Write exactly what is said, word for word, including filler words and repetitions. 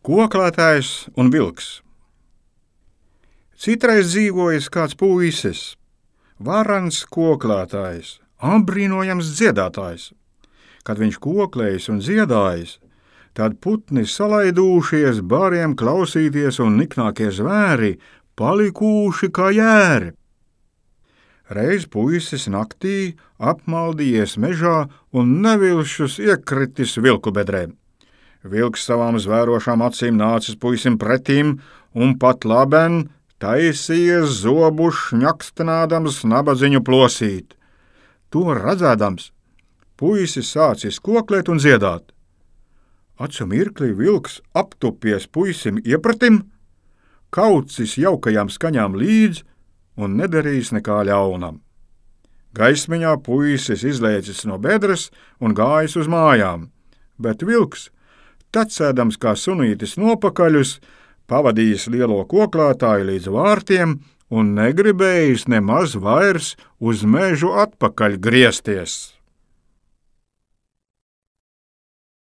Koklētājs un vilks. Citreiz dzīvojis kāds puisis, varans koklētājs, apbrīnojams dziedātājs. Kad viņš koklējis un dziedājis, tad putni salaidūšies, bāriem klausīties un niknākie zvēri palikuši kā jēri. Reiz puisis naktī apmaldījies mežā un nevilšus iekritis vilku bedrē. Vilks savām zvērošām acīm nācis puisim pretīm un pat laben taisījies zobu šņakstenādams nabadziņu plosīt. To redzēdams, puisis sācis koklēt un dziedāt. Acu mirklī vilks aptupies puisim iepratim, kaucis jaukajām skaņām līdz un nedarījis nekā ļaunam. Gaismiņā puisis izlēcis no bedres un gājis uz mājām, bet vilks, tecēdams kā sunītis nopakaļus, pavadījis lielo koklētāju līdz vārtiem un negribējis nemaz vairs uz mežu atpakaļ griezties.